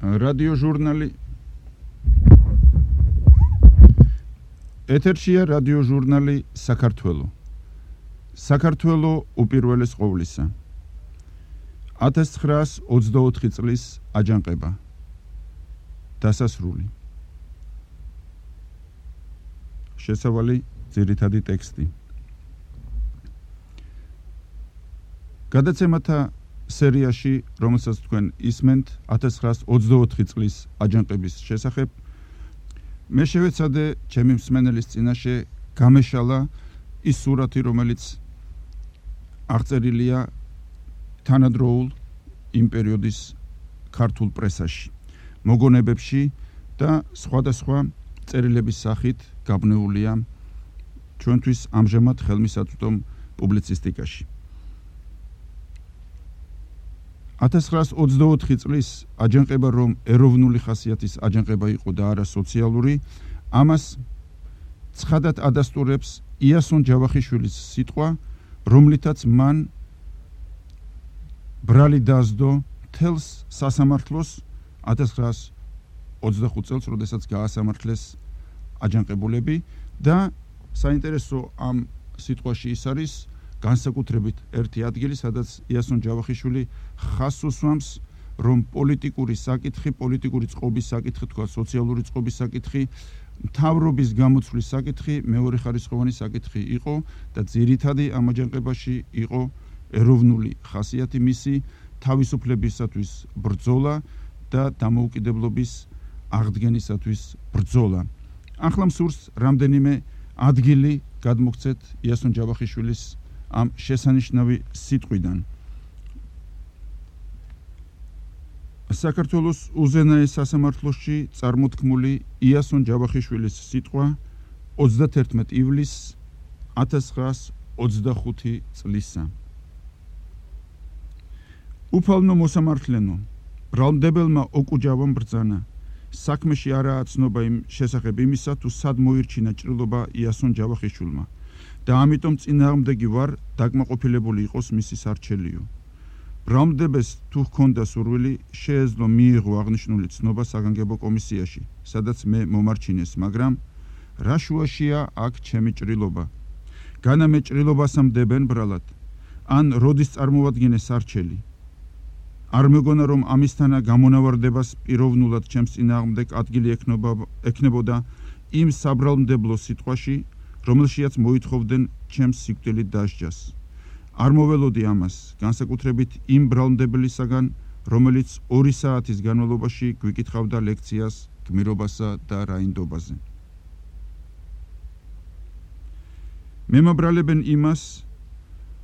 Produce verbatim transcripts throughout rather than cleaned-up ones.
რადიოჟურნალი ეთერშია რადიოჟურნალი საქართველო. საქართველო უპირველეს ყოვლისა. ათას ცხრაას ოცდაოთხი წლის აჯანყება. დასასრული. შესავალი ძირითადი ტექსტი. გადაცემათა სერიაში, რომელსაც თქვენ ისმენთ, ათას ცხრაას ოცდაოთხი წლის აჯანყების შესახებ, მე შევეცადე ჩემი მსმენელის წინაშე გამეშალა ის სურათი, რომელიც აღწერილია თანადროულ იმ პერიოდის ქართულ პრესაში, მოგონებებში და სხვადასხვა წერილების სახით გაბნეულია ჩვენთვის ამჟამად ხელმისაწვდომ პუბლიცისტიკაში. ათას ცხრაას ოცდაოთხი წლის აჯანყება, რომ ეროვნული ხასიათის აჯანყება იყო და არა სოციალური, ამას ცხადად ადასტურებს იასონ ჯავახიშვილის სიტყვა, რომლითაც მან ბრალი დაასდო მთელს სასამართლოს ათას ცხრაას ოცდახუთ წელს, როდესაც გაასამართლეს აჯანყებულები და საინტერესო ამ სიტყვაში ის არის განსაკუთრებით ერთი ადგილი, სადაც იასონ ჯავახიშვილი ხაზს უსვამს, რომ პოლიტიკური საკითხი, პოლიტიკური წყობის საკითხი, თქვა სოციალური წყობის საკითხი, მთავრობის გამოცვლის საკითხი მეორეხარისხოვანი საკითხი იყო და ძირითადი ამ აჯანყებაში იყო ეროვნული ხასიათი, მისი თავისუფლებისათვის ბრძოლა და დამოუკიდებლობის აღდგენისათვის ბრძოლა. ახლა მსურს რამდენიმე ადგილი გადმოგცეთ იასონ ჯავახიშვილის ამ შესანიშნავი სიტყვიდან. საქართველოს უზენაეს სასამართლოში წარმოთქმული იასონ ჯავახიშვილის სიტყვა ოცდათერთმეტი ივლისს ათას ცხრაას ოცდახუთი წლისა. უფალნო მოსამართლენო, ბრალმდებელმა ოკუჯავამ ბრძანა, საქმეში არაა ცნობა იმ შესახებ იმისა, თუ სად მოირჩინა ჭრილობა იასონ ჯავახიშვილმა და ამიტომ წინააღმდეგი ვარ დაკმაყოფილებული იყოს მისი სარჩელიო. ბრალმდებელს თუ ჰქონდა სურვილი, შეეძლო მიიღო აღნიშნული ცნობა საგანგებო კომისიაში, სადაც მე მომარჩინეს, მაგრამ რა შუაშია აქ ჩემი ჭრილობა? განა მე ჭრილობასამ დებენ ბრალად, ან როდის წარმოვადგინე სარჩელი? არ მეგონა, რომ ამისთანა გამონავარდებას პიროვნულად ჩემს წინააღმდეგ ადგილი ექნებოდა იმ საბრალმდებლო სიტყვაში, რომელშიაც მოითხოვდნენ ჩემს სიკვდილით დასჯას. არ მოველოდი ამას, განსაკუთრებით იმ ბრალმდებელისაგან, რომელიც ორი საათის განმავლობაში გვიკითხავდა ლექციას გმირობასა და რაინდობაზე. მემაბრალებენ იმას,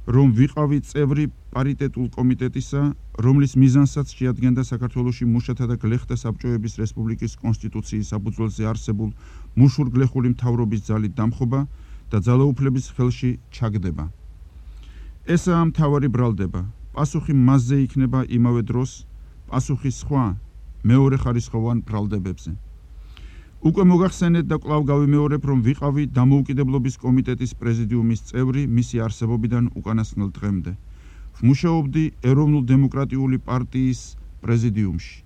რომ ვიყავი წევრი პარიტეტულ კომიტეტისა, რომლის მიზანსაც შეადგენდა საქართველოში მუშათა და გლეხთა საბჭოების რესპუბლიკის კონსტიტუციის საფუძველზე არსებულ მუშურ-გლეხური მთავრობის ძალით დამხობა და ძალაუფლების ხელში ჩაგდება. ესაა მთავარი ბრალდება. პასუხი მასზე იქნება იმავე დროს პასუხი სხვა მეორეხარისხოვან ბრალდებებზე. უკვე მოგახსენეთ და კვლავ გავიმეორებ, რომ ვიყავი დამოუკიდებლობის კომიტეტის პრეზიდიუმის წევრი მისი არსებობიდან უკანასკნელ დღემდე. ვმუშაობდი ეროვნულ-დემოკრატიული პარტიის პრეზიდიუმში.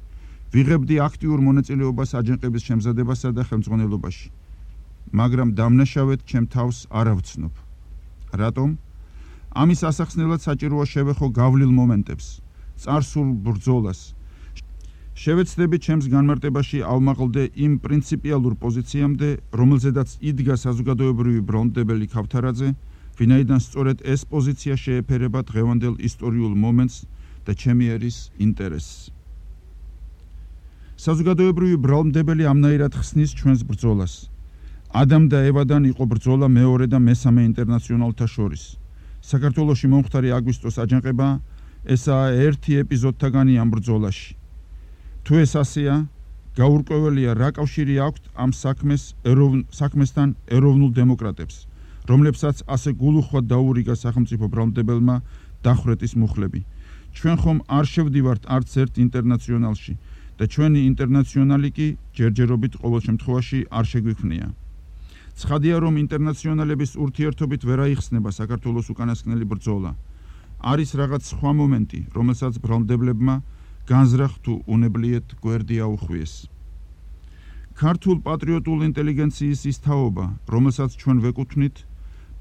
ვიღებდი აქტიურ მონაწილეობას აჯანყების შემზადებასა და ხელმძღვანელობაში. მაგრამ დამნაშავედ ჩემ თავს არ ავცნობ. რატომ? ამის ასახსნელად საჭიროა შევეხო გავლილ მომენტებს, წარსულ ბრძოლას. შევეცდები ჩემს განმარტებაში ავმაღლდე იმ პრინციპიალურ პოზიციამდე, რომელზედაც იდგა საზოგადოებრივი ბრალმდებელი ქავთარაძე, ვინაიდან სწორედ ეს პოზიცია შეეფერება დღევანდელ ისტორიულ მომენტს და ჩემი ერის ინტერესს. საზოგადოებრივი ბრალმდებელი ამნაირად ხსნის ჩვენს ბრძოლას. ადამ და ევადან იყო ბრძოლა მეორე და მესამე ინტერნაციონალთა შორის. საქართველოში მომხდარი აგვისტოს აჯანყება ესაა ერთი ეპიზოდთაგანი ამ ბრძოლაში. თუ ეს ასეა, გაურკვეველია რა კავშირი აქვთ ამ საქმეს საქმესთან ეროვნულ დემოკრატებს, რომლებსაც ასე გულუხვად დაურიგა სახელმწიფო ბრალმდებელმა დახვრეტის მუხლები. ჩვენ ხომ არ შევდივართ არც ერთ ინტერნაციონალში და ჩვენი ინტერნაციონალი კი ჯერჯერობით ყოველ შემთხვევაში არ შეგვიქმნია. ცხადია, რომ ინტერნაციონალების ურთიერთობით ვერ აიხსნება საქართველოს უკანასკნელი ბრძოლა. არის რაღაც სხვა მომენტი, რომელსაც ბრალმდებლებმა განზრახ თუ უნებლიეთ გვერდი აუხვიეს. ქართულ პატრიოტულ ინტელიგენციის ის თაობა, რომელსაც ჩვენ ვეკუთვნით,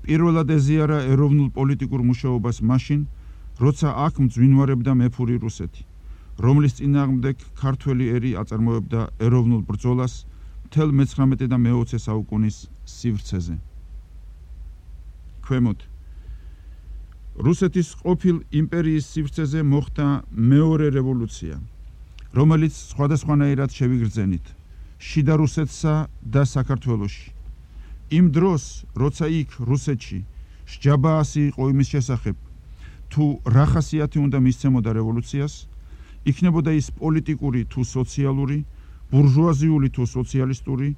პირველად ეზიარა ეროვნულ პოლიტიკურ მუშაობას მაშინ, როცა აქ მძვინვარებდა მეფური რუსეთი, რომლის წინააღმდეგ ქართველი ერი აწარმოებდა ეროვნულ ბრძოლას მთელ მეცხრამეტე და მეოცე საუკუნის სივრცეზე. ქვემოთ რუსეთის ყოფილ იმპერიის სივრცეზე მოხდა მეორე რევოლუცია, რომელიც სხვადასხვანაირად შევიგრძენით შიდა რუსეთსა და საქართველოში. იმ დროს, როცა იქ რუსეთში სჯაბაასი იყო იმის შესახებ, თუ რა ხასიათი უნდა მისცემოდა რევოლუციას, იქნებოდა ის პოლიტიკური თუ სოციალური, ბურჟუაზიული თუ სოციალისტური,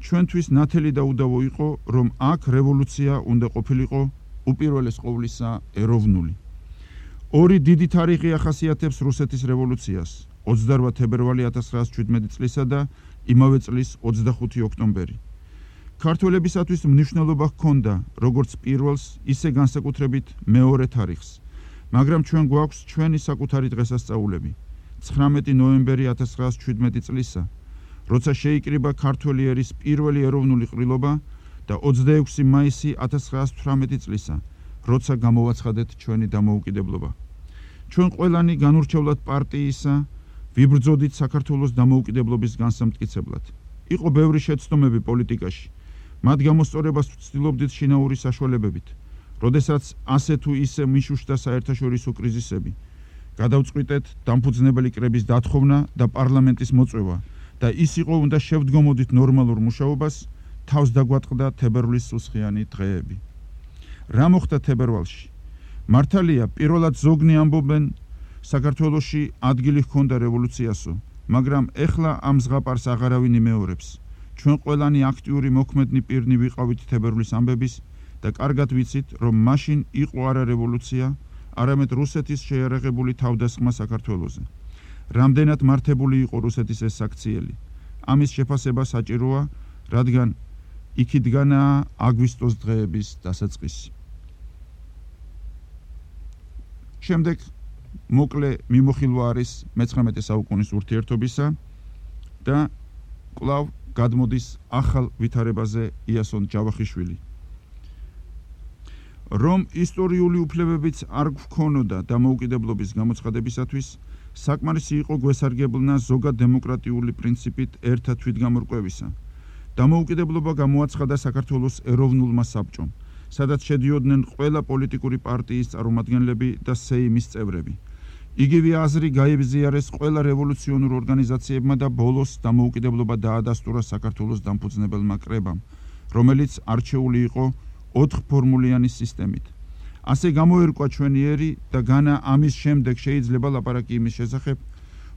ჩვენთვის ნათელი და უდავო იყო, რომ აქ რევოლუცია უნდა ყოფილიყო უპირველეს ყოვლისა ეროვნული. ორი დიდი თარიღი ახასიათებს რუსეთის რევოლუციას, ოცდარვა თებერვალი ათას ცხრაას შვიდმეტი წლისა და იმავე წლის ოცდახუთი ოქტომბერი. ქართველებისათვის მნიშვნელობა ჰქონდა როგორც პირველს, ისე განსაკუთრებით მეორე თარიღს, მაგრამ ჩვენ გვაქვს ჩვენი საკუთარი დღესასწაულები. ცხრამეტი ნოემბერი ათას ცხრაას შვიდმეტი წლისა, როცა შეიკრიბა ქართველი ერის პირველი ეროვნული ყრილობა და ოცდაექვსი მაისი ათას ცხრაას თვრამეტი წლისა, როცა გამოვაცხადეთ ჩვენი დამოუკიდებლობა. ჩვენ ყველანი განურჩევლად პარტიისა ვიბრძოდით საქართველოს დამოუკიდებლობის განსამტკიცებლად. იყო ბევრი შეცდომები პოლიტიკაში, მათ გამოსწორებას ვცდილობდით შინაური საშუალებებით, როდესაც ასე თუ ისე მიშუშტა საერთაშორისო კრიზისები. გადავწყვიტეთ დამფუძნებელი კრების დათხოვნა და პარლამენტის მოწვევა და ის იყო უნდა შევდგომოდით ნორმალურ მუშაობას, თავს დაგვატყდა თებერვლის სუსხიანი დღეები. რა მოხდა თებერვალში? მართალია, პირველად ზოგნი ამბობენ, საქართველოში ადგილი ჰქონდა რევოლუციასო, მაგრამ ეხლა ამ ზღაპარს აღარავინ იმეორებს. ჩვენ ყველანი აქტიური მოქმედნი პირნი ვიყავით თებერვლის ამბების და კარგად ვიცით, რომ მაშინ იყო არა რევოლუცია, არამედ რუსეთის შეიარაღებული თავდასხმა საქართველოზე. რამდენად მართებული იყო რუსეთის ეს საქციელი? ამის შეფასება საჭიროა, რადგან იქითგანაა აგვისტოს დღეების დასაწყისი. შემდეგ მოკლე მიმოხილვა არის მეცხრამეტე საუკუნის ურთიერთობისა და კვლავ გადმოდის ახალ ვითარებაზე იასონ ჯავახიშვილი. რომ ისტორიული უფლებებიც არ გვქონოდა დამოუკიდებლობის გამოცხადებისათვის, საკმარისი იყო გვესარგებლნა ზოგად დემოკრატიული პრინციპით ერთა თვითგამორკვევისა. დამოუკიდებლობა გამოაცხადა საქართველოს ეროვნულმა საბჭომ, სადაც შედიოდნენ ყველა პოლიტიკური პარტიის წარმომადგენლები და სეიმის წევრები. იგივე აზრი გაებზიარეს ყველა რევოლუციონურ ორგანიზაციებმა და ბოლოს დამოუკიდებლობა დაადასტურა საქართველოს დამფუძნებელმა კრებამ, რომელიც არჩეული იყო ოთხფორმულიანი სისტემით. ასე გამოერკვა ჩვენი ერი და განა ამის შემდეგ შეიძლება ლაპარაკი იმის შესახებ,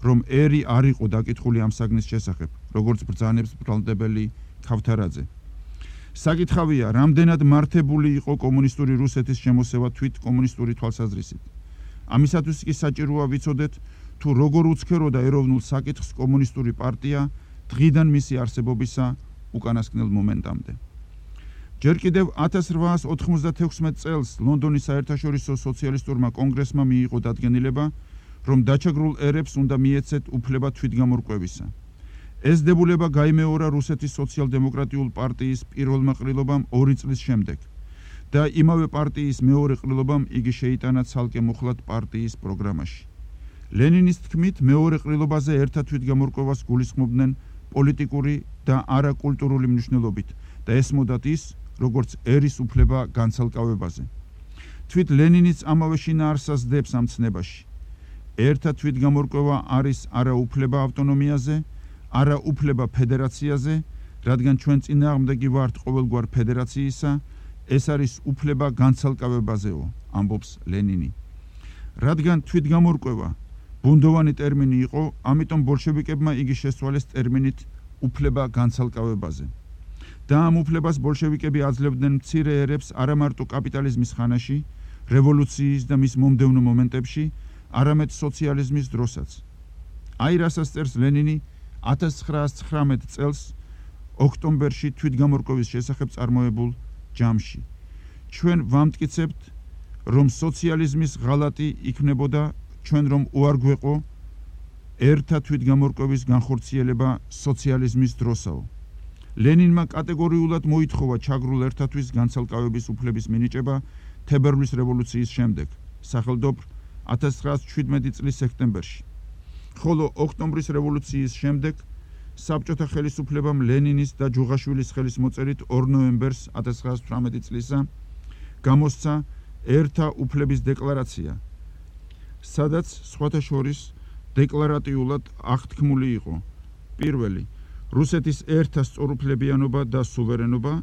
რომ ერი არ იყო დაკითხული ამ საგნის შესახებ, როგორც ბრძანებს ბრალდებელი ქავთარაძე. საკითხავია, რამდენად მართებული იყო კომუნისტური რუსეთის შემოსევა თვით კომუნისტური თვალსაზრისით. ამისათვის კი საჭიროა ვიცოდეთ, თუ როგორ უცქეროდა ეროვნულ საკითხს კომუნისტური პარტია დღიდან მისი არსებობისა უკანასკნელ მომენტამდე. ჯერ კიდევ ათას რვაას ოთხმოცდათექვსმეტ წელს ლონდონის საერთაშორისო სოციალისტურმა კონგრესმა მიიღო დადგენილება, რომ დაჩაგრულ ერებს უნდა მიეცეთ უფლება თვითგამორკვევისა. ეს დებულება გაიმეორა რუსეთის სოციალ-დემოკრატიულ პარტიის პირველმა ყრილობამ ორი წლის შემდეგ და იმავე პარტიის მეორე ყრილობამ იგი შეიტანა ცალკე მუხლად პარტიის პროგრამაში. ლენინის თქმით, მეორე ყრილობაზე ერთა თვითგამორკვევას გულისხმობდნენ პოლიტიკური და არა კულტურული მნიშვნელობით და ესმოდათ ის, როგორც ერის უფლება განცალკავებაზე. თვით ლენინიც ამავე შინაარსას დებს ამ ცნებაში. ერთა თვითგამორკვევა არის არა უფლება ავტონომიაზე, არა უფლება ფედერაციაზე, რადგან ჩვენ წინააღმდეგი ვართ ყოველგვარ ფედერაციისა, ეს არის უფლება განცალკავებაზეო, ამბობს ლენინი. რადგან თვითგამორკვევა ბუნდოვანი ტერმინი იყო, ამიტომ ბოლშევიკებმა იგი შესწვალეს ტერმინით უფლება განცალკავებაზე. და ამ უფლებას ბოლშევიკები აძლევდნენ მცირე ერებს არა მარტო კაპიტალიზმის ხანაში, რევოლუციის და მის მომდევნო მომენტებში, არამედ სოციალიზმის დროსაც. აი რასაც წერს ლენინი ათას ცხრაას ცხრამეტ წელს ოქტომბერში თვითგამორკვევის შესახებ წარმოებულ ჯამში. ჩვენ ერთა თვითგამორკვევის განხორციელება სოციალიზმის დროსაო. ლენინმა კატეგორიულად მოითხოვა ჩაგრულ ერთათვის განცალკავების უფლების მინიჭება თებერვლის რევოლუციის შემდეგ, სახელმდობრ ათას ცხრაასი შვიდმეტი წლის სექტემბერში. ხოლო ოქტომბრის რევოლუციის შემდეგ საბჭოთა ხელისუფლებამ ლენინის და ჯუღაშვილის ხელის მოწერით ორ ნოემბერს ათას ცხრაასი თვრამეტი წლისა გამოსცა ერთა უფლების დეკლარაცია, სადაც სხვათა შორის დეკლარატიულად აღთქმული იყო: პირველი, რუსეთის ერთა სწორუფლებიანობა და სუვერენობა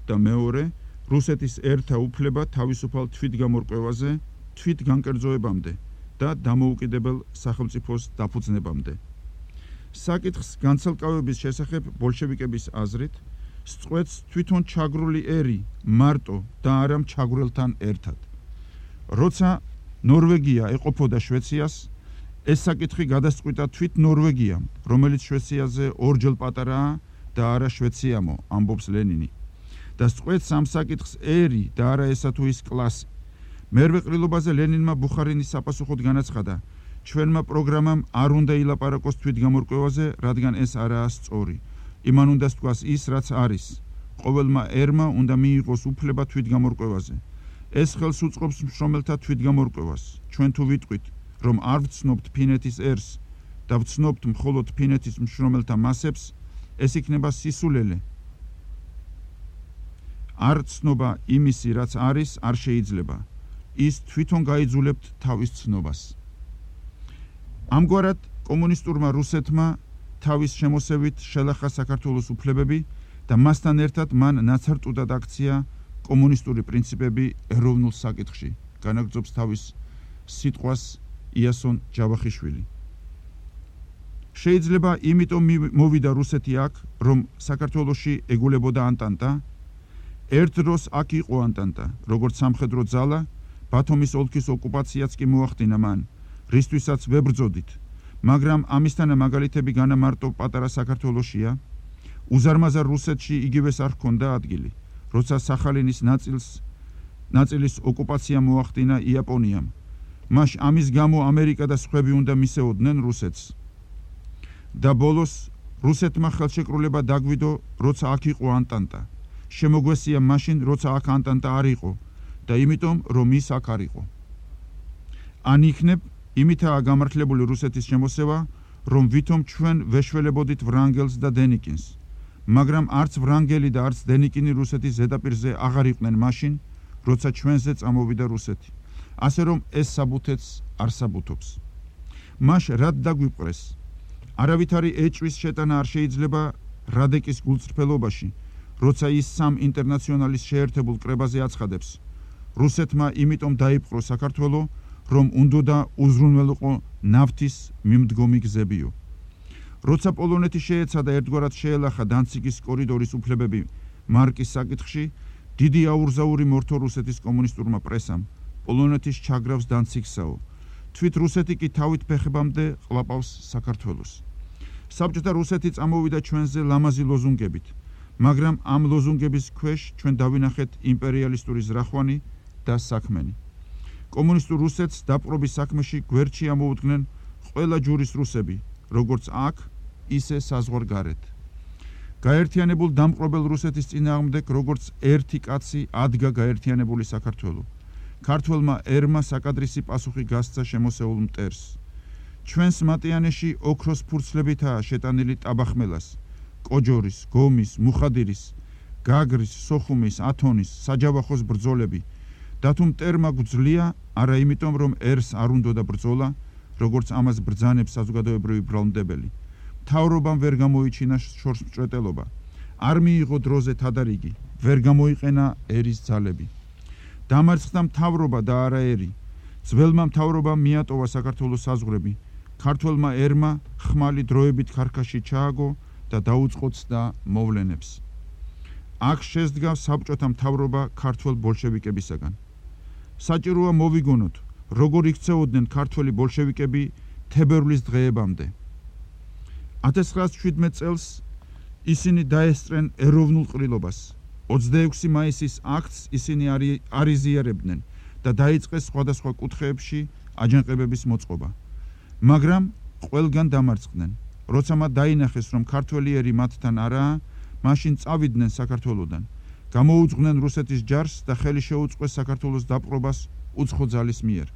და მეორე, რუსეთის ერთა უფლება თავისუფალ თვითგამორკვევაზე, თვითგანკერძოებამდე და დამოუკიდებელ სახელმწიფოს დაფუძნებამდე. საკითხს განცალკავების შესახებ ბოლშევიკების აზრით სწყვეტს თვითონ ჩაგრული ერი მარტო და არა ჩაგვრელთან ერთად. როცა ნორვეგია ეყოფოდა შვეციას, ეს საკითხი გადასწყვიტა თვით ნორვეგიამ, რომელიც შვეციაზე ორჯერ პატარაა და არა შვეციამო, ამბობს ლენინი. და სწყვეტს ამ საკითხს ერი და არა ესა თუ ის კლასი. მერვე ყრილობაზე ლენინმა ბუხარინის საპასუხოდ განაცხადა: ჩვენმა პროგრამამ არ უნდა ილაპარაკოს თვითგამორკვევაზე, რადგან ეს არაა სწორი. იმან უნდა სთქვას ის, რაც არის. ყოველმა ერმა უნდა მიიღოს უფლება თვითგამორკვევაზე. ეს ხელს უწყობს მშრომელთა თვითგამორკვევას. ჩვენ თუ ვიტყვით, რომ არ ვცნობთ ფინეთის ერს და ვცნობთ მხოლოდ ფინეთის მშრომელთა მასებს, ეს იქნება სისულელე. არ ცნობა იმისი, რაც არის, არ შეიძლება. ის თვითონ გაიძულებთ თავის ცნობას. ამგვარად კომუნისტურმა რუსეთმა თავის შემოსევით შელახა საქართველოს უფლებები და მასთან ერთად მან ნაცარტუდად აქცია კომუნისტური პრინციპები ეროვნულ საკითხში, განაგრძობს თავის სიტყვას იასონ ჯავახიშვილი. შეიძლება იმიტომ მოვიდა რუსეთი აქ, რომ საქართველოში ეგულებოდა ანტანტა. ერთ დროს აქ იყო ანტანტა, როგორც სამხედრო ძალა, ბათუმის ოლქის ოკუპაციაც კი მოახდინა მან, რისთვისაც ვებრძოდით, მაგრამ ამისთანა მაგალითები განა მარტო პატარა საქართველოშია. უზარმაზარ რუსეთში იგივეს არ ჰქონდა ადგილი, როცა სახალინის ნაწილს ნაწილის ოკუპაცია მოახდინა იაპონიამ. მაშ ამის გამო ამერიკა და სხვები უნდა მისეოდნენ რუსეთს. და ბოლოს რუსეთმა ხელშეკრულება დაგვიდო, როცა აქ იყო ანტანტა. შემოგვესია მაშინ, როცა აქ ანტანტა არ იყო და იმიტომ, რომ ის აქ არ იყო. ან იქნებ, იმითაა გამართლებული რუსეთის შემოსევა, რომ ვითომ ჩვენ ვეშველებოდით ვრანგელს და დენიკინს. მაგრამ არც ვრანგელი და არც დენიკინი რუსეთის ზედაპირზე აღარ იყვნენ მაშინ, როცა ჩვენზე წამოვიდა რუსეთი. ასე რომ ეს საბუთეც არ საბუთობს. მაშ რად დაგვიპყრეს? არავითარი ეჭვის შეტანა არ შეიძლება რადეკის გულწრფელობაში, როცა ის სამ ინტერნაციონალის შეერთებულ კრებაზე აცხადებს: რუსეთმა იმიტომ დაიპყრო საქართველო, რომ უნდოდა უზრუნველყო ნავთის მიმდგომი გზებიო. როცა პოლონეთი შეეცადა ერთგვარად შეელახა დანციგის კორიდორის უფლებები მარკის საკითხში, დიდი აურზაური მორთო რუსეთის კომუნისტურმა პრესამ, პოლონეთის ჩაგრავს დანციგსაო. თვით რუსეთი კი თავით ფეხებამდე ყლაპავს საქართველოს. საბჭოთა რუსეთი წამოვიდა ჩვენზე ლამაზი ლოზუნგებით, მაგრამ ამ ლოზუნგების ქვეშ ჩვენ დავინახეთ იმპერიალისტური ზრახვანი და საქმენი. კომუნისტურ რუსეთს დაპყრობის საქმეში გვერდში ამოუდგნენ ყველა ჯურის რუსები, როგორც აქ, ისე საზღვარგარეთ. გაერთიანებულ დამპყრობელ რუსეთის წინააღმდეგ, როგორც ერთი კაცი ადგა გაერთიანებული საქართველო. ქართველმა ერმა საკადრისი პასუხი გასცა შემოსეულ მტერს. ჩვენს მატიანეში ოქროს ფურცლებითაა შეტანილი ტაბახმელას, კოჯორის, გომის, მუხადირის, გაგრის, სოხუმის, ათონის, საჯავახოს ბრძოლები. და თუ მტერმა გვძლია, არა იმიტომ, რომ ერს არ უნდოდა ბრძოლა, როგორც ამას ბრძანებს საზოგადოებრივი ბრალმდებელი. მთავრობამ ვერ გამოიჩინა შორსმჭრეტელობა. არ მიიღო დროზე თადარიგი, ვერ გამოიყენა ერის ძალები. დამარცხდა მთავრობა და არა ერი. ძველმა მთავრობამ მიატოვა საქართველოს საზღვრები. ქართველმა ერმა ხმალი დროებით ქარქაში ჩააგო და დაუწყოცდა მოვლენებს. აქ შესდგა საბჭოთა მთავრობა ქართველ ბოლშევიკებისაგან. საჭიროა მოვიგონოთ, როგორ იქცეოდნენ ქართველი ბოლშევიკები თებერვლის დღეებამდე. ათას ცხრაასი შვიდმეტ წელს ისინი დაესწრენ ეროვნულ ყრილობას. ოცდაექვსი მაისის აქტს ისინი არ იზიარებდნენ და დაიწყეს სხვადასხვა კუთხეებში აჯანყებების მოწყობა. მაგრამ ყველგან დამარცხდნენ. როცა მათ დაინახეს, რომ ქართველი ერი მათთან არაა, მაშინ წავიდნენ საქართველოდან. გამოუძღვნენ რუსეთის ჯარს და ხელი შეუწყეს საქართველოს დაპყრობას უცხო ძალის მიერ.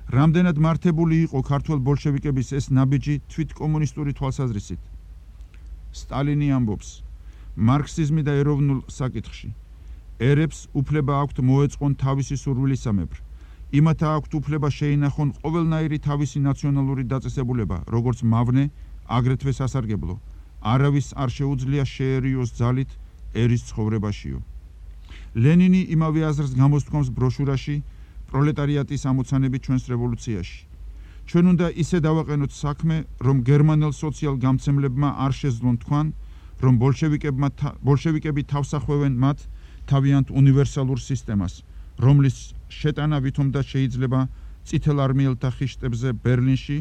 რამდენად მართებული იყო ქართველ ბოლშევიკების ეს ნაბიჯი თვით კომუნისტური თვალსაზრისით. სტალინი ამბობს, მარქსიზმი და ეროვნულ საკითხში ერებს უფლება აქვთ მოეწყონ თავისი სურვილისამებრ. იმათა აქვთ უფლება შეინახონ ყოველნაირი თავისი ნაციონალური დაწესებულება, როგორც მავნე, აგრეთვე სასარგებლო. არავის არ შეუძლია შეერიოს ძალით ერის ცხოვრებაშიო. ლენინი იმავე აზრს გამოსთქვამს ბროშურაში პროლეტარიატის ამოცანები ჩვენს რევოლუციაში. ჩვენ უნდა ისე დავაყენოთ საქმე, რომ გერმანელ სოციალ-გამცემლებმა არ შეძლონ თქვან, რომ ბოლშევიკებმა ბოლშევიკები თავსახვევენ მათ თავიანთ უნივერსალურ სისტემას, რომლის შეტანა ვითომდა შეიძლება წითელ არმიელთა ხიშტებზე ბერლინში,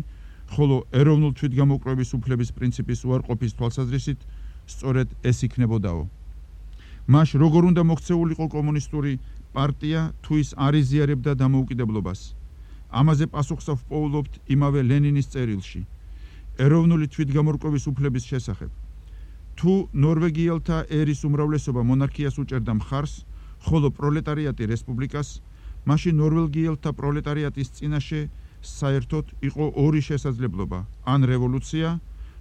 ხოლო ეროვნულ თვითგამოკვლევის უფლების პრინციპის უარყოფის თვალსაზრისით სწორედ ეს იქნებოდაო. მას როგორ უნდა მოქცეულიყო კომუნისტური პარტია თუ ის არ იზიარებდა დამოუკიდებლობას. ამაზე პასუხს ვპოულობთ იმავე ლენინის წერილში ეროვნული თვითგამორკვევის უფლების შესახებ. თუ ნორვეგიელთა ერის უმრავლესობა მონარქიას უჭერდა მხარს, ხოლო პროლეტარიატი რესპუბლიკას, მაშინ ნორვეგიელთა პროლეტარიატის წინაშე საერთოდ იყო ორი შესაძლებლობა: ან რევოლუცია,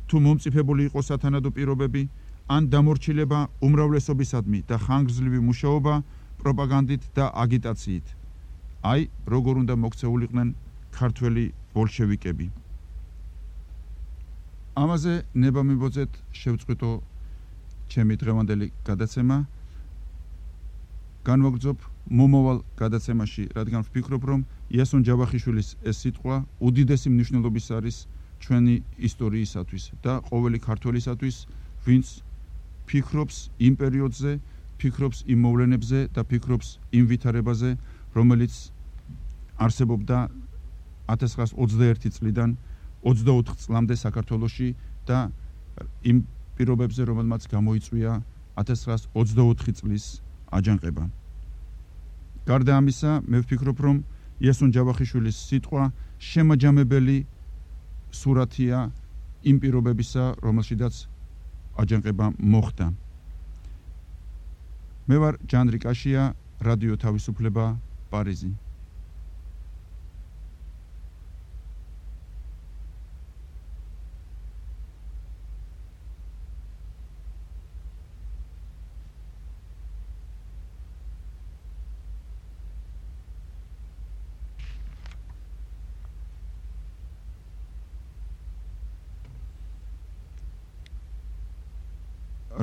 თუ მომწიფებული იყო სათანადო პირობები, ან დამორჩილება უმრავლესობისადმი და ხანგრძლივი მუშაობა პროპაგანდით და აგიტაციით. აი, როგორ უნდა მოქცეულიყვნენ ქართველი ბოლშევიკები. ამაზე ნება მიბოძეთ შევწყვიტო ჩემი დღევანდელი გადაცემა. განვაგრძობ მომავალ გადაცემაში, რადგან ვფიქრობ, რომ იასონ ჯავახიშვილის ეს სიტყვა უდიდესი მნიშვნელობის არის ჩვენი ისტორიისათვის და ყოველი ქართველისათვის, ვინც ფიქრობს იმ პერიოდზე, ფიქრობს იმ მოვლენებზე და ფიქრობს იმ ვითარებაზე, რომელიც არსებობდა ათას ცხრაას ოცდაერთი წლიდან ოცდაოთხ წლამდე საქართველოში და იმ პირობებზე, რომელმაც გამოიწვია ათას ცხრაას ოცდაოთხი წლის აჯანყება. გარდა ამისა, მე ვფიქრობ, რომ იასონ ჯავახიშვილის სიტყვა შემაჯამებელი სურათია იმ პირობებისა, რომელშიდაც აჯანყება მოხდა. მე ვარ ჯანდრი კაშია, რადიო თავისუფლება, პარიზი.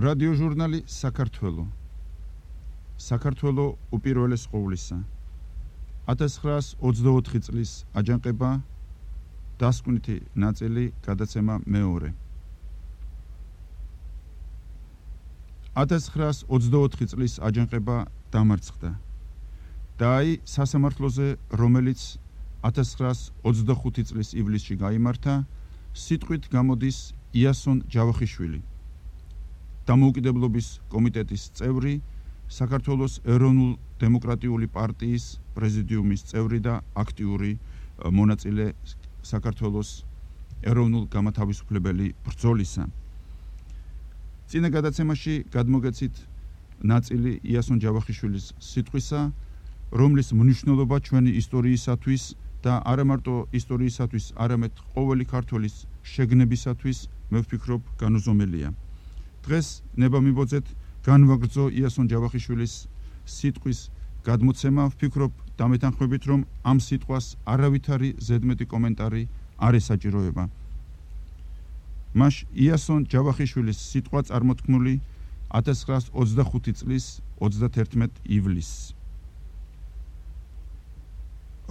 რადიო ჟურნალი საქართველო. საქართველო უპირველეს ყოვლისა. ათას ცხრაას ოცდაოთხი წლის აჯანყება, დასკვნითი ნაწილი, გადაცემა მეორე. ათას ცხრაას ოცდაოთხი წლის აჯანყება დამარცხდა. და აი სასამართლოზე, რომელიც ათას ცხრაას ოცდახუთი წლის ივლისში გაიმართა, სიტყვით გამოდის იასონ ჯავახიშვილი, დამოუკიდებლობის კომიტეტის წევრი, საქართველოს ეროვნულ დემოკრატიული პარტიის პრეზიდიუმის წევრი და აქტიური მონაწილე საქართველოს ეროვნულ გამათავისუფლებელი ბრძოლისა. წინა გადაცემაში გადმოგეცით ნაწილი იასონ ჯავახიშვილის სიტყვისა, რომლის მნიშვნელობა ჩვენი ისტორიისათვის და არა მარტო ისტორიისათვის, არამედ ყოველი ქართველის შეგნებისათვის, მე ვფიქრობ, განუზომელია. დღეს ნება მიბოძეთ განვაგრძო იასონ ჯავახიშვილის სიტყვის გადმოცემა. ვფიქრობ დამეთანხმებით, რომ ამ სიტყვას არავითარი ზედმეტი კომენტარი არ ესაჭიროება. მას იასონ ჯავახიშვილის სიტყვა წარმოთქმული ათას ცხრაას ოცდახუთი წლის ოცდათერთმეტ ივლისს.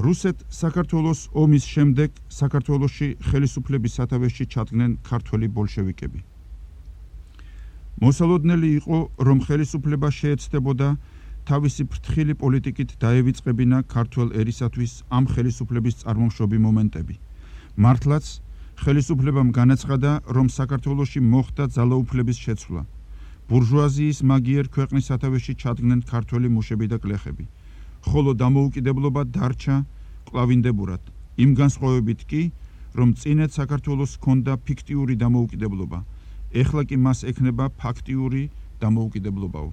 რუსეთ-საქართველოს ომის შემდეგ საქართველოში ხელისუფლების სათავეში ჩადგნენ ქართველი ბოლშევიკები. მოსალოდნელი იყო, რომ ხელისუფლება შეეცდებოდა თავისი ფრთხილი პოლიტიკით დაევიწყებინა ქართველ ერისათვის ამ ხელისუფლების წარმომშობი მომენტები. მართლაც ხელისუფლებამ განაცხადა, რომ საქართველოში მოხდა ძალაუფლების შეცვლა. ბურჟუაზიის მაგიერ ქვეყნის სათავეში ჩადგნენ ქართველი მუშები და გლეხები, ხოლო დამოუკიდებლობა დარჩა კლავინდებურად, იმ განსხვავებით კი, რომ წინეთ საქართველოს ჰქონდა ფიქტიური დამოუკიდებლობა, ეხლა კი მას ექნება ფაქტიური დამოუკიდებლობაო.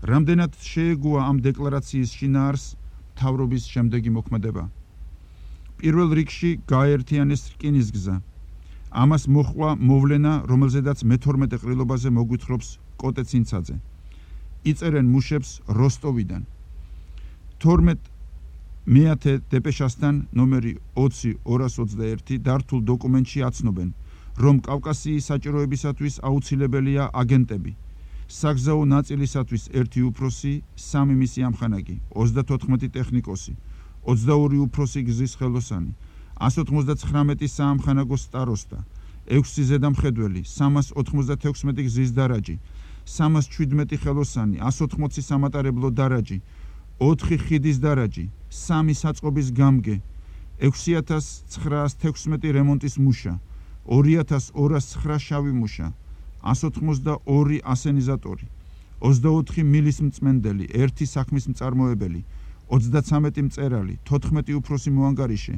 რამდენად შეეგუა ამ დეკლარაციის შინაარს მთავრობის შემდეგი მოქმედება. პირველ რიგში გააერთიანეს რკინისგზა. ამას მოჰყვა მოვლენა, რომელზედაც მეთორმეტე ყრილობაზე მოგვითხრობს კოტე ცინცაძე. იწერენ მუშებს როსტოვიდან. თორმეტ მეათე დეპეშასთან ნომერი ოცი ორას ოცდაერთი დართულ დოკუმენტში აცნობენ, რომ კავკასიის საჭიროებისათვის აუცილებელია აგენტები. საგზაო ნაწილისათვის ერთი უფროსი, სამი მისი ამხანაგი, ოცდათოთხმეტი ტექნიკოსი, ოცდაორი უფროსი გზის ხელოსანი, ასი ოცდათხრამეტი საამხანაგო სტაროსტა, ექვსი ზედამხედველი, სამას ოთხმოცდათექვსმეტი გზის დარაჯი, სამას შვიდმეტი ხელოსანი, ასი ოთხმოცი სამატარებლო დარაჯი, ოთხი ხიდის დარაჯი, სამი საწყობის გამგე, ექვსი ათას ცხრაას თექვსმეტი რემონტის მუშა, ორი ათას ორას ცხრა შავი მუშა, ასი ოცდაორი ასენიზატორი, ოცდაოთხი მილის მწმენდელი, ერთი საქმის მწარმოებელი, ოცდაცამეტი მწერალი, თოთხმეტი უფროსი მოანგარიშე,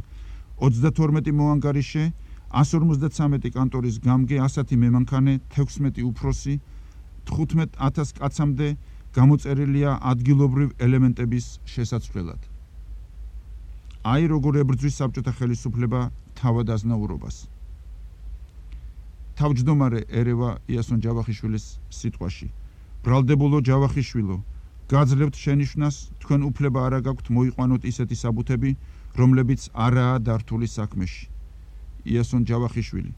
ოცდათორმეტი მოანგარიშე, ასი ორმოცდაცამეტი კანტორის გამგე, ასათი მემანქანე, თექვსმეტი უფროსი, თხუთმეტ ათას კაცამდე გამოწერილია ადგილობრივ ელემენტების შესაცვლელად. აი როგორ ებრძვის საბჭოთა ხელისუფლება თავად აზნაურობას. თავმჯდომარე ერევა იასონ ჯავახიშვილის სიტყვაში. ბრალდებულო ჯავახიშვილო, გაძლევთ შენიშვნას, თქვენ უფლება არა გაქვთ მოიყვანოთ ისეთი საბუთები, რომლებიც არაა დართული საქმეში. იასონ ჯავახიშვილი.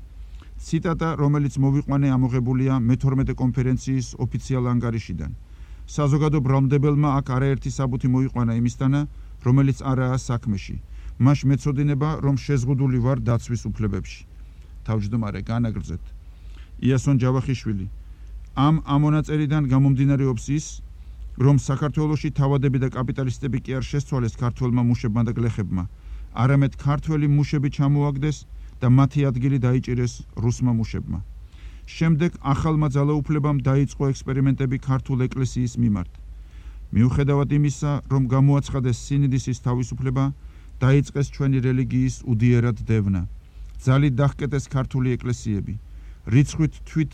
ციტატა, რომელიც მოვიყვანე, ამოღებულია მეთორმეტე კონფერენციის ოფიციალ ანგარიშიდან. საზოგადო ბრალმდებელმა აქ არაერთი საბუთი მოიყვანა იმისთანა, რომელიც არაა საქმეში. მას მეწოდინება, რომ შეზღუდული ვარ დაცვის უფლებებში. თავმჯდომარე, განაგრძეთ. იასონ ჯავახიშვილი. ამ ამონაწერიდან გამომდინარეობს ის, რომ საქართველოში თავადები და კაპიტალისტები კი არ შესცვალეს ქართველმა მუშებმა და გლეხებმა, არამედ ქართველი მუშები ჩამოაგდეს და მათი ადგილი დაიჭირეს რუსმა მუშებმა. შემდეგ ახალმა ძალაუფლებამ დაიწყო ექსპერიმენტები ქართულ ეკლესიის მიმართ. მიუხედავად იმისა, რომ გამოაცხადეს სინდისის თავისუფლება, დაიწყეს ჩვენი რელიგიის უდიერად დევნა. ძალით დაჰკეტეს ქართული ეკლესიები. რიცხვით თვით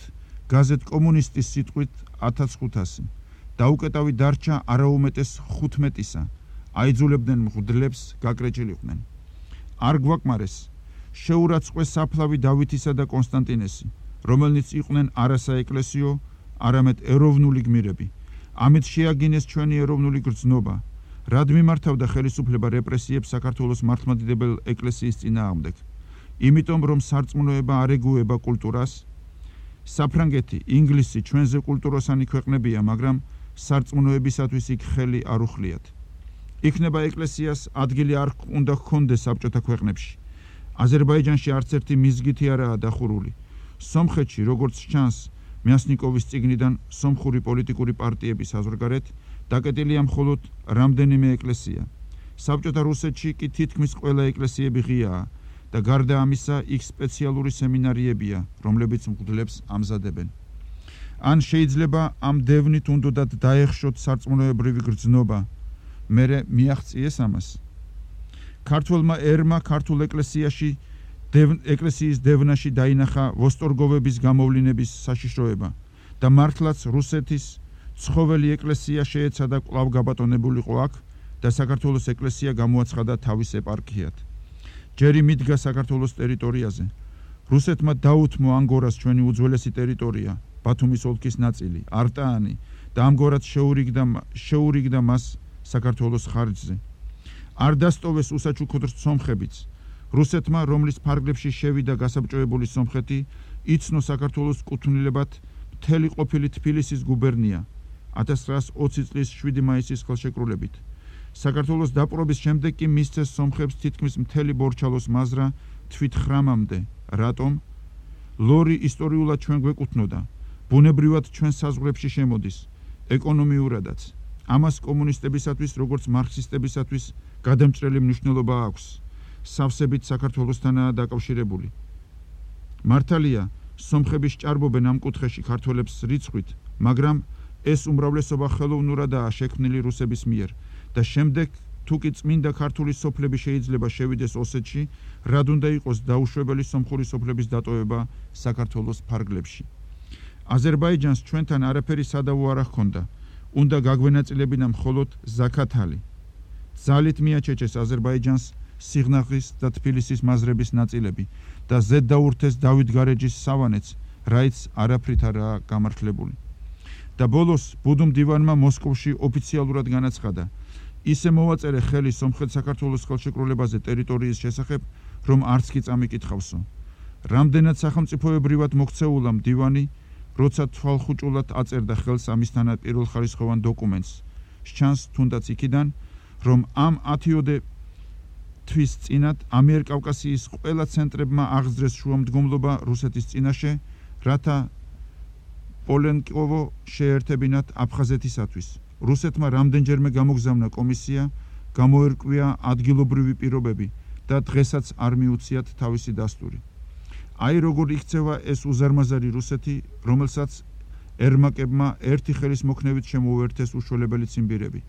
გაზეთ კომუნისტის სიტყვით ათას ხუთასი. დაუკეტავი დარჩა არაუმეტეს ხუთმეტისა. აიძულებდნენ მღვდლებს გაკრეჭილიყვნენ. არ გვაკმარეს. შეურაცხყვეს საფლავი დავითისა და კონსტანტინესი, რომელნიც იყვნენ არა საეკლესიო, არამედ ეროვნული გმირები. ამით შეაგინეს ჩვენი ეროვნული გრძნობა. რად მიმართავდა ხელისუფლება რეპრესიებს საქართველოს მართლმადიდებელ ეკლესიის წინააღმდეგ? იმიტომ, რომ სარწმუნოება არ ეგუება კულტურას. საფრანგეთი, ინგლისი ჩვენზე კულტუროსანი ქვეყნებია, მაგრამ სარწმუნოებისათვის იქ ხელი არ უხლიათ. იქნება ეკლესიას ადგილი არ უნდა ჰქონდეს საბჭოთა ქვეყნებში. აზერბაიჯანში არც ერთი მიზგითი არაა დახურული. სომხეთში, როგორც ჩანს, მიასნიკოვის წიგნიდან სომხური პოლიტიკური პარტიების საზღვარგარეთ დაკეტილია მხოლოდ რამდენიმე ეკლესია. საბჭოთა რუსეთში კი თითქმის ყველა ეკლესიები ღიაა და გარდა ამისა იქ სპეციალური სემინარიებია, რომლებიც მღვდლებს ამზადებენ. ან შეიძლება ამ დევნით უნდოდათ დაეხშოთ სარწმუნოებრივი გრძნობა, მერე მიაღწიეს ამას. ქართველმა ერმა ქართულ ეკლესიაში ეკლესიის დევნაში დაინახა ვოსტორგოვების გამოვლინების საშიშროება და მართლაც რუსეთის ცხოველი ეკლესია შეეცადა კვლავ გაბატონებულიყო აქ და საქართველოს ეკლესია გამოაცხადა თავის ეპარქიად. ჯერი მიდგა საქართველოს ტერიტორიაზე. რუსეთმა დაუთმო ანგორას ჩვენი უძველესი ტერიტორია, ბათუმის ოლქის ნაწილი, არტაანი და ამგვარად შეურიგდა შეურიგდა მას საქართველოს ხარჯზე. არ დასტოვეს უსაჩუქრ სომხებიც. რუსეთმა, რომლის ფარგლებში შევიდა გასაბჭოებული სომხეთი, იცნო საქართველოს კუთვნილებად მთელი ყოფილი თბილისის გუბერნია ათას ცხრაას ოცი წლის შვიდი მაისის ხელშეკრულებით. საქართველოს დაპყრობის შემდეგ კი მისცეს სომხებს თითქმის მთელი ბორჩალოს მაზრა თვით ხრამამდე. რატომ? ლორი ისტორიულად ჩვენ გვეკუთვნოდა, ბუნებრივად ჩვენ საზღვრებში შემოდის, ეკონომიურადაც. ამას კომუნისტებისათვის, როგორც მარქსისტებისათვის გადამჭრელი მნიშვნელობა აქვს. სავსებით საქართველოსთანაა დაკავშირებული. მართალია, სომხები სჭარბობენ ამ კუთხეში ქართველებს რიცხვით, მაგრამ ეს უმრავლესობა ხელოვნურადაა შექმნილი რუსების მიერ და შემდეგ თუ კი წმინდა ქართული სოფლები შეიძლება შევიდეს ოსეთში, რად უნდა იყოს დაუშვებელი სომხური სოფლების დატოვება საქართველოს ფარგლებში. აზერბაიჯანს ჩვენთან არაფერი სადავო არ ჰქონდა. უნდა გაგვენაწილებინა მხოლოდ ზაქათალი. ძალით მიაჩეჩეს აზერბაიჯანს სიღნაღის და თბილისის მაზრების ნაწილები და ზედ დაურთეს დავით გარეჯის სავანეც, რაიც არაფრით არაა გამართლებული. და ბოლოს ბუდუმ დივანმა მოსკოვში ოფიციალურად განაცხადა, ისე მოვაწერე ხელი სომხეთ-საქართველოს ხელშეკრულებაზე ტერიტორიის შესახებ, რომ არც კი წამიკითხავსო. რამდენად სახელმწიფოებრივად მოქცეულა მდივანი, როცა თვალხუჭულად აწერდა ხელს ამისთანა პირველხარისხოვან დოკუმენტს. სჩანს თუნდაც იქიდან, რომ ამ ათიოდე თვის წინათ ამიერკავკასიის ყველა ცენტრებმა აღძრეს შუამდგომლობა რუსეთის წინაშე, რათა პოლენკოვო შეერთებინათ აფხაზეთისათვის. რუსეთმა რამდენჯერმე გამოგზავნა კომისია, გამოერკვია ადგილობრივი პირობები და დღესაც არ მიუციათ თავისი დასტური. აი როგორ იქცევა ეს უზარმაზარი რუსეთი, რომელსაც ერმაკებმა ერთი ხელის მოქნევით შემოუერთეს უშველებელი ციმბირები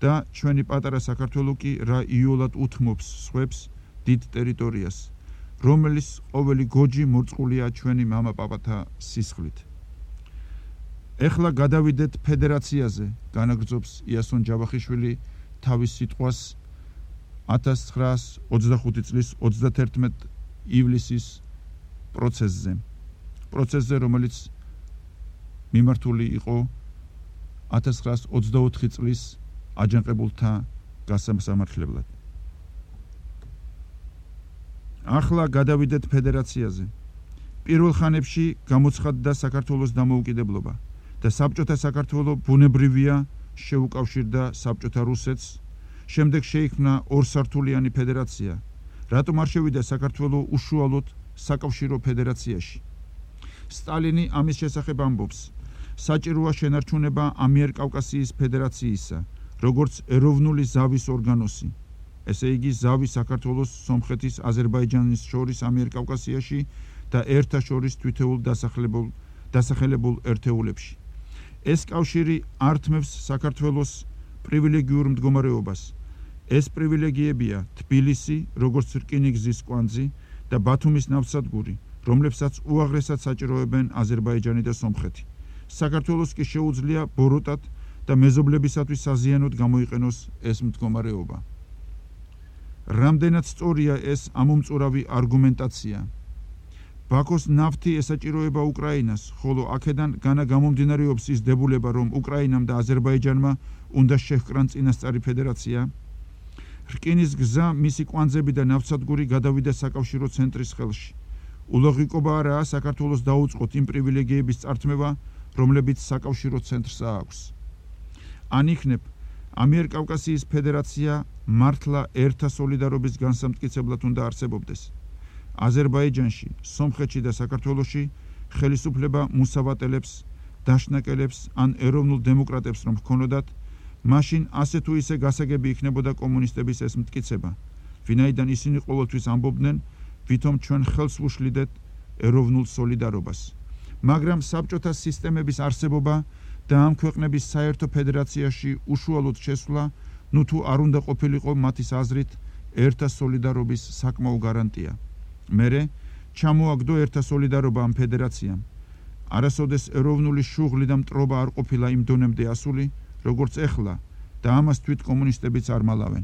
და ჩვენი პატარა საქართველო კი რა იოლად უთმობს სხვებს დიდ ტერიტორიას, რომელიც ყოველი გოჯი მორწყულია ჩვენი მამაპაპათა სისხლით. ეხლა გადავიდეთ ფედერაციაზე, განაგრძობს იასონ ჯავახიშვილი თავის სიტყვას ათას ცხრაას ოცდახუთი წლის ოცდაათერთმეტი ივლისის პროცესზე. პროცესზე, რომელიც მიმართული იყო ათას ცხრაას ოცდაოთხი წლის აჯანყებულთა გასამართლებლად. ახლა გადავიდეთ ფედერაციაზე. პირველ ხანებში გამოცხადდა საქართველოს დამოუკიდებლობა და საბჭოთა საქართველო ბუნებრივია შეუკავშირდა საბჭოთა რუსეთს, შემდეგ შეიქმნა ორსართულიანი ფედერაცია. რატომ არ შევიდა საქართველო უშუალოდ საკავშირო ფედერაციაში? სტალინი ამის შესახებ ამბობს, საჭიროა შენარჩუნება ამიერკავკასიის ფედერაციისა, როგორც ეროვნული ზავის ორგანოსი. ესე იგი ზავი საქართველოს, სომხეთის, აზერბაიჯანის შორის ამიერკავკასიაში და ერთა შორის თვითეულ დასახლებულ დასახელებულ ერთეულებში. ეს კავშირი ართმევს საქართველოს პრივილეგიურ მდგომარეობას. ეს პრივილეგიებია თბილისი, როგორც რკინიგზის კვანძი და ბათუმის ნავსადგური, რომლებსაც უაღრესად საჭიროებენ აზერბაიჯანი და სომხეთი. საქართველოს კი შეუძლია ბოროტად და მეზობლებისათვის საზიანოდ გამოიყენოს ეს მდგომარეობა. რამდენად სწორია ეს ამომწურავი არგუმენტაცია. ბაქოს ნავთი ესაჭიროება უკრაინას, ხოლო აქედან განა გამომდინარეობს ის დებულება, რომ უკრაინამ და აზერბაიჯანმა უნდა შეჰკრან წინასწარი ფედერაცია. რკინის გზა, მისი კვანძები და ნავსადგური გადავიდა საკავშირო ცენტრის ხელში. ულოღიკობა არაა საქართველოს დაუწყოთ იმ პრივილეგიების წართმევა, რომლებიც საკავშირო ცენტრს აქვს. ან იქნებ ამიერკავკასიის ფედერაცია მართლა ერთა სოლიდარობის განსამტკიცებლად უნდა არსებობდეს. აზერბაიჯანში, სომხეთში და საქართველოში ხელისუფლება მუსავატელებს, დაშნაკელებს ან ეროვნულ დემოკრატებს რომ ჰქონოდათ, მაშინ ასე თუ ისე გასაგები იქნებოდა კომუნისტების ეს მტკიცება, ვინაიდან ისინი ყოველთვის ამბობდნენ, ვითომ ჩვენ ხელს ვუშლიდეთ ეროვნულ სოლიდარობას. მაგრამ საბჭოთა სისტემების არსებობა და ამ ქვეყნების საერთო ფედერაციაში უშუალოდ შესვლა, ნუ თუ არ უნდა ყოფილიყო მათის აზრით ერთა სოლიდარობის საკმაო გარანტია. მერე ჩამოაგდო ერთა სოლიდარობა ამ ფედერაციამ. არასოდეს ეროვნული შუღლი და მტრობა არ ყოფილა იმ დონემდე ასული, როგორც ეხლა და ამას თვით კომუნისტებიც არ მალავენ.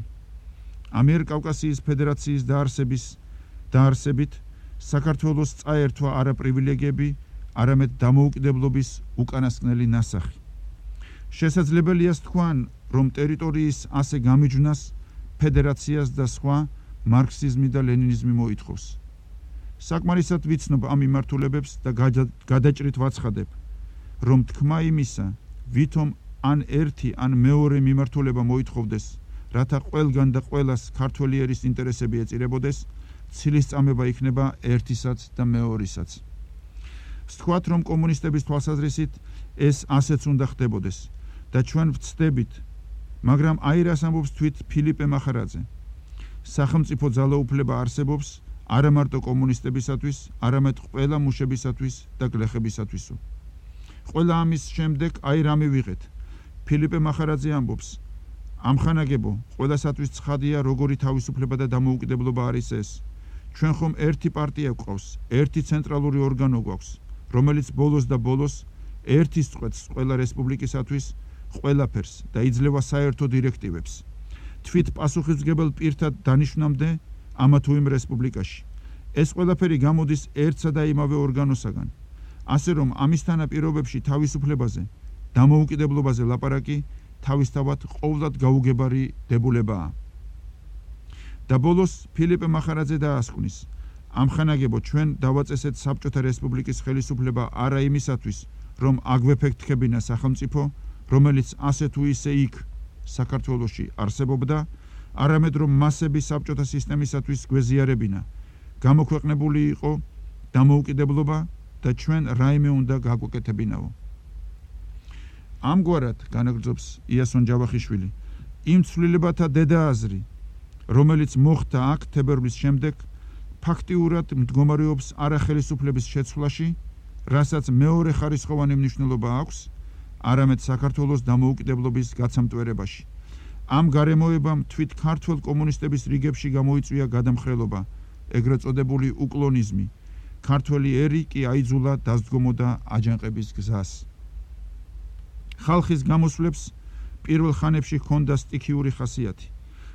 ამიერკავკასიის ფედერაციის დაარსების დაარსებით საქართველოს წაერთვა არა პრივილეგიები, არამედ დამოუკიდებლობის უკანასკნელი ნასახი. შესაძლებელია თქვან, რომ ტერიტორიის ასე გამიჯვნას ფედერაციას და სხვა მარქსიზმი და ლენინიზმი მოითხოვს. საკმარისად ვიცნობ ამ მიმართულებებს და გადაჭრით ვაცხადებ, რომ თქმა იმისა, ვითომ ან ერთი ან მეორე მიმართულება მოითხოვდეს, რათა ყველგან და ყველას ქართველი ერის ინტერესები ეწირებოდეს, ცილისწამება იქნება ერთისაც და მეორისაც. ვთქვათ, რომ კომუნისტების თვალსაზრისით ეს ასეც უნდა ხდებოდეს და ჩვენ ვცდებით, მაგრამ აი რას ამბობს თვით ფილიპე მახარაძე. სახელმწიფო ძალაუფლება არსებობს არა მარტო კომუნისტებისათვის, არამედ ყველა მუშებისათვის და გლეხებისათვისო. ყველა ამის შემდეგ აი რა მივიღეთ. ფილიპე მახარაძე ამბობს, ამხანაგებო, ყველასათვის ცხადია, როგორი თავისუფლება და დამოუკიდებლობა არის ეს. ჩვენ ხომ ერთი პარტია გვყავს, ერთი ცენტრალური ორგანო გვაქვს, რომელიც ბოლოს და ბოლოს ერთის წყვეტს ყველა რესპუბლიკისათვის ყველაფერს და იძლევა საერთო დირექტივებს. თვით პასუხისმგებელ პირთა დანიშვნამდე ამა თუ იმ რესპუბლიკაში. ეს ყველაფერი გამოდის ერთსა და იმავე ორგანოსაგან. ასე რომ ამის თანაპირობებში თავისუფლებაზე, დამოუკიდებლობაზე ლაპარაკი თავისთავად ყოვლად გაუგებარი დებულებაა. და ბოლოს ფილიპე მახარაძე დაასკვნის, ამხანაგებო ჩვენ დავაწესეთ საბჭოთა რესპუბლიკის ხელისუფლება არა იმისათვის, რომ აგვეფექტქებინა სახელმწიფო, რომელიც ასე თუ ისე იქ საქართველოში არსებობდა, არამედ რომ მასები საბჭოთა სისტემისათვის გვეზიარებინა, გამოქვეყნებული იყო დამოუკიდებლობა და ჩვენ რაიმე უნდა გაგვეკეთებინაო. ამგვარად განაგრძობს იასონ ჯავახიშვილი, იმ ცვლილებათა დედააზრი, რომელიც მოხდა აქ თებერვლის შემდეგ, ფაქტიურად მდგომარეობს არახელისუფლების შეცვლაში, რასაც მეორე ხარისხოვანი მნიშვნელობა აქვს, არამედ საქართველოს დამოუკიდებლობის გაცამტვერებაში. ამ გარემოებამ თვით ქართველ კომუნისტების რიგებში გამოიწვია გადამხრელობა, ეგრეთ წოდებული უკლონიზმი. ქართველი ერი კი აიძულა დასდგომოდა აჯანყების გზას. ხალხის გამოსვლებს პირველ ხანებში ჰქონდა სტიქიური ხასიათი.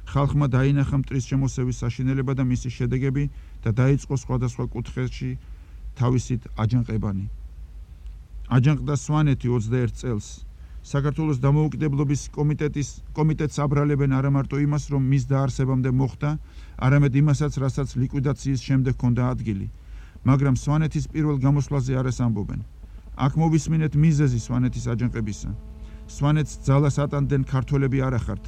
ხალხმა დაინახა მტრის შემოსევის საშინელება და მისი შედეგები და დაიწყო სხვადასხვა კუთხეში თავისით აჯანყებანი. აჯანყდა სვანეთი ოცდაერთ წელს. საქართველოს დამოუკიდებლობის კომიტეტის კომიტეტს აბრალებენ არა მარტო იმას, რომ მის დაარსებამდე მოხდა, არამედ იმასაც, რასაც ლიკვიდაციის შემდეგ ჰქონდა ადგილი. მაგრამ სვანეთის პირველ გამოსვლაზე არას ამბობენ. აქ მოვისმინეთ მიზეზი სვანეთის აჯანყებისა. სვანეთს ძალას ატანდნენ ქართველები არ ახართ.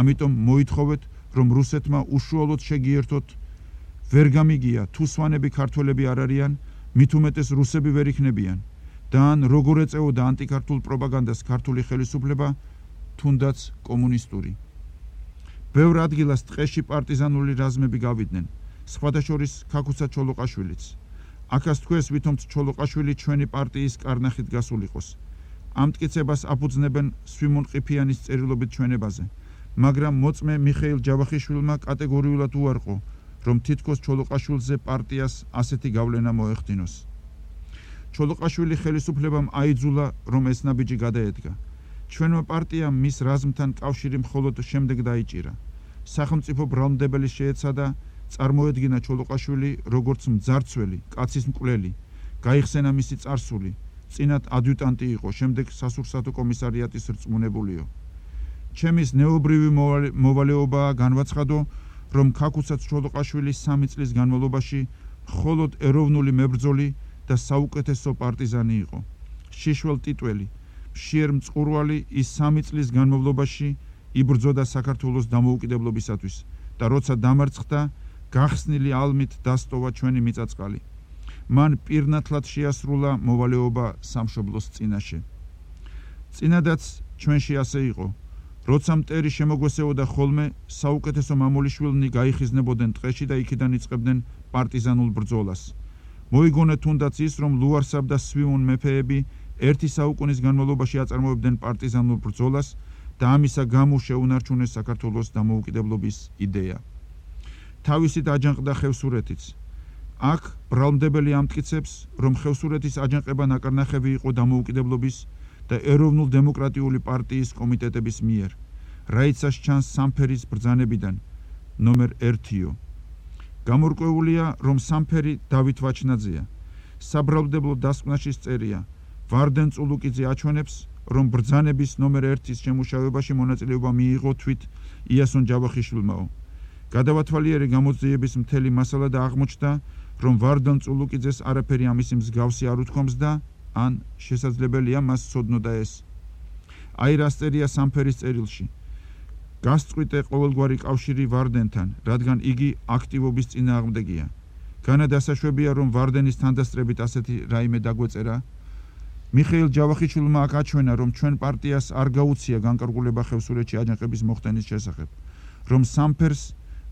ამიტომ მოითხოვეთ, რომ რუსეთმა უშუალოდ შეგიერთოთ. ვერ გამიგია, თუ სვანები ქართველები არ არიან, მით უმეტეს რუსები ვერ იქნებიან. და ან როგორ ეწეოდა ანტიქართულ პროპაგანდას ქართული ხელისუფლება, თუნდაც კომუნისტური. ბევრ ადგილას ტყეში პარტიზანული რაზმები გავიდნენ, სხვათა შორის ქაქუცა ჩოლოყაშვილიც. აქაც თქვეს, ვითომც ჩოლოყაშვილი ჩვენი პარტიის კარნახით გასულიყოს. ამ მტკიცებას აფუძნებენ სვიმონ ყიფიანის წერილობით ჩვენებაზე, მაგრამ მოწმე მიხეილ ჯავახიშვილმა კატეგორიულად უარყო, რომ თითქოს ჩოლოყაშვილზე პარტიას ასეთი გავლენა მოეხდინოს. ჩოლოყაშვილი ხელისუფლებამ აიძულა, რომ ეს ნაბიჯი გადაედგა. ჩვენმა პარტიამ მის რაზმთან კავშირი მხოლოდ შემდეგ დაიჭირა. სახელმწიფო ბრალმდებელი შეეცადა, წარმოედგინა ჩოლოყაშვილი როგორც მძარცველი, კაცის მკვლელი, გაიხსენა მისი წარსული, წინათ ადიუტანტი იყო, შემდეგ სასურსათო კომისარიატის რწმუნებულიო. ჩემის ნეობრივი მოვალეობაა განვაცხადო, რომ ქაქუცა ჩოლოყაშვილი სამი წლის განმავლობაში მხოლოდ ეროვნული მებრძოლი და საუკეთესო პარტიზანი იყო. შიშველ ტიტველი, მშიერ მწყურვალი ის სამი წლის განმავლობაში იბრძოდა საქართველოს დამოუკიდებლობისათვის და როცა დამარცხდა, გახსნილი ალმით დასტოვა ჩვენი მიწაწყალი. მან პირნათლად შეასრულა მოვალეობა სამშობლოს წინაშე. წინადაც ჩვენში ასე იყო. როცა მტერი შემოგვესეოდა ხოლმე, საუკეთესო მამულიშვილნი გაიხიზნებოდნენ ტყეში და იქიდან იწყებდნენ პარტიზანულ ბრძოლას. მოიგონეთ თუნდაც ის, რომ ლუარსაბ და სვიმონ მეფეები ერთი საუკუნის განმავლობაში აწარმოებდნენ პარტიზანულ ბრძოლას და ამისა გამო შეუნარჩუნეს საქართველოს დამოუკიდებლობის იდეა. თავისით აჯანყდა ხევსურეთიც. აქ ბრალმდებელი ამტკიცებს, რომ ხევსურეთის აჯანყება ნაკარნახევი იყო დამოუკიდებლობის და ეროვნულ დემოკრატიული პარტიის კომიტეტების მიერ, რაიცას ჩანს სამფერის ბრძანებიდან, ნომერ ერთიო. გამორკვეულია, რომ სამფერი დავით ვაჩნაძეა. საბრალმდებლო დასკვნაში წერია, ვარდენ წულუკიძე აჩვენებს, რომ ბრძანების ნომერ ერთის შემუშავებაში მონაწილეობა მიიღო თვით იასონ ჯავახიშვილმაო. გადავათვალიერე გამოძიების მთელი მასალა და აღმოჩნდა, რომ ვარდან წულუკიძეს არაფერი ამისი მსგავსი არ უთქვამს და ან შესაძლებელია მას ცოდნოდა ეს. აი რას წერია სამფერის წერილში. გასწყვიტე ყოველგვარი კავშირი ვარდენთან, რადგან იგი აქტივობის წინააღმდეგია. განა დასაშვებია, რომ ვარდენის თანდასწრებით ასეთი რაიმე დაგვეწერა. მიხეილ ჯავახიშვილმა აქ აჩვენა, რომ ჩვენ პარტიას არ გაუცია განკარგულება ხევსურეთში აჯანყების მოხდენის შესახებ, რომ სამფერს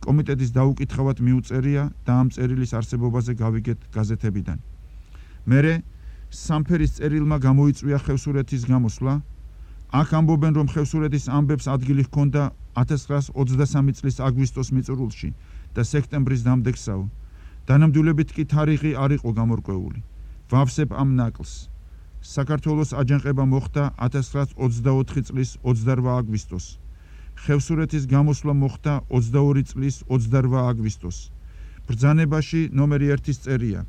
კომიტეტის დაუკითხავად მიუწერია და ამ წერილის არსებობაზე გავიგეთ გაზეთებიდან. მერე სამფერის წერილმა გამოიწვია ხევსურეთის გამოსვლა, აქ ამბობენ, რომ ხევსურეთის ამბებს ადგილი ჰქონდა ათას ცხრაასი ოცდასამი წლის აგვისტოს მიწურულში და სექტემბრის დამდეგსავ. დანამდვილებით კი თარიღი არ იყო გამორკვეული. ვავსებ ამ ნაკლს. საქართველოს აჯანყება მოხდა ათას ცხრაასი ოცდაოთხი წლის ოცდარვა აგვისტოს. ხევსურეთის გამოსვლა მოხდა ოცდაორი წლის ოცდარვა აგვისტოს. ბრძანებაში ნომერი ერთის წერია.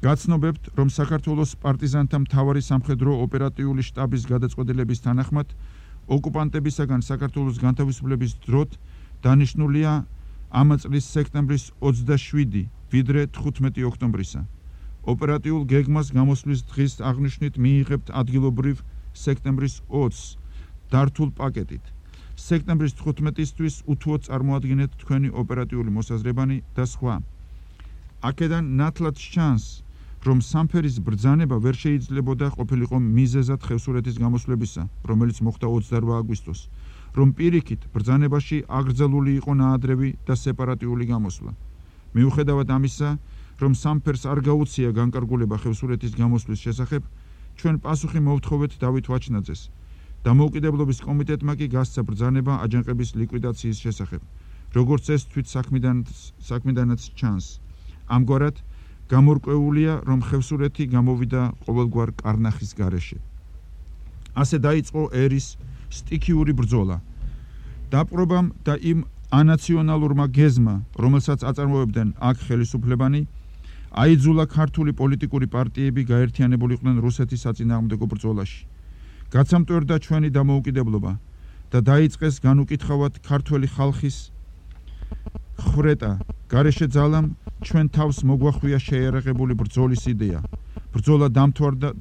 გაცნობებთ, რომ საქართველოს პარტიზანთა მთავარი სამხედრო ოპერატიული შტაბის გადაწყვეტილების თანახმად ოკუპანტებისაგან საქართველოს განთავისუფლების დროით დანიშნულია ამ წლის სექტემბრის ოცდაშვიდი ვიდრე თხუთმეტი ოქტომბრისა. ოპერატიულ გეგმას გამოსვლის დღის აღნიშვნით მიიღებთ ადგილობრივ სექტემბრის ოცს დართულ პაკეტით. სექტემბრის თხუთმეტისთვის უთუოდ წარმოადგენთ თქვენი ოპერატიული მოსაზრებანი და სხვა. აქედან ნათლად ჩანს, რომ სამფერის ბრძანება ვერ შეიძლებოდა ყოფილიყო მიზეზად ხევსურეთის გამოსვლებისა, რომელიც მოხდა ოცდარვა აგვისტოს, რომ პირიქით ბრძანებაში აკრძალული იყო ნაადრევი და სეპარატიული გამოსვლა. მიუხედავად ამისა, რომ სამფერს არ გაუწია განკარგულება ხევსურეთის გამოსვლის შესახებ, ჩვენ პასუხი მოვთხოვეთ დავით ვაჩნაძეს. დამოუკიდებლობის კომიტეტმა კი გასცა ბრძანება აჯანყების ლიკვიდაციის შესახებ, როგორც ეს თვით საქმიდანაც ჩანს. ამგვარად გამორკვეულია, რომ ხევსურეთი გამოვიდა ყოველგვარ კარნახის გარეშე. ასე დაიწყო ერის სტიქიური ბრძოლა. დაპყრობამ და იმ ანაციონალურმა გეზმა, რომელსაც აწარმოებდნენ აქ ხელისუფლებანი, აიძულა ქართული პოლიტიკური პარტიები გაერთიანებულიყვნენ რუსეთის საწინააღმდეგო ბრძოლაში. გაცამტვერდა ჩვენი დამოუკიდებლობა და დაიწყეს განუკითხავად ქართველი ხალხის ხრეტა. გარეშე ძალამ ჩვენ თავს მოგვახვია შეიარაღებული ბრძოლის იდეა. ბრძოლა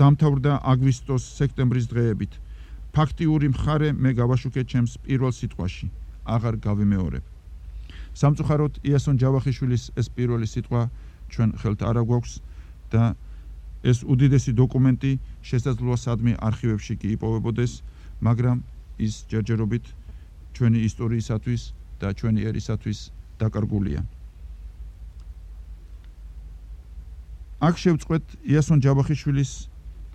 დამთავრდა აგვისტოს სექტემბრის დღეებით. ფაქტიური მხარე მე გავაშუქე ჩემს პირველ სიტყვაში, აღარ გავიმეორებ. სამწუხაროდ იასონ ჯავახიშვილის ეს პირველი სიტყვა ჩვენ ხელთ არ აგვაქვს და ეს უდიდესი დოკუმენტი შესაძლოა სადმე არქივებში კი იპოვებოდეს, მაგრამ ის ჯერჯერობით ჩვენი ისტორიისათვის და ჩვენი ერისათვის დაკარგულია. აქ შევწყვეთ იასონ ჯავახიშვილის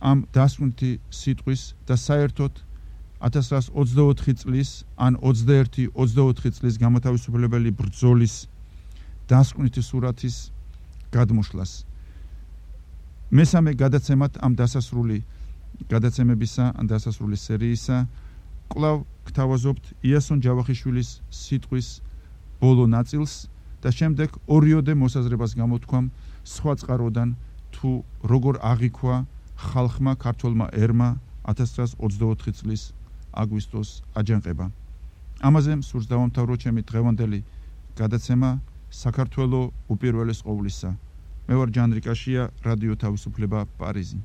ამ დასკვნითი სიტყვის და საერთოდ ათას ცხრაასი ოცდაოთხი წლის ან ოცდაერთი ოცდაოთხი წლის გამოთავისუფლებელი ბრძოლის დასკვნითი სურათის გადმოშლას. მესამე გადაცემად ამ დასასრული გადაცემებისა ან დასასრული სერიისა კვლავ გთავაზობთ იასონ ჯავახიშვილის სიტყვის ბოლო ნაწილს და შემდეგ ორიოდე მოსაზრებას გამოთქვამ სხვა წყაროდან თუ როგორ აღიქვა ხალხმა ქართველმა ერმა ათას ცხრაასი ოცდაოთხი წლის აგვისტოს აჯანყება. ამაზე სურს დავამთავრო ჩემი დღევანდელი გადაცემა საქართველო უპირველეს ყოვლისა. მე ვარ ჯანდრიკაშია, რადიო თავისუფლება, პარიზი.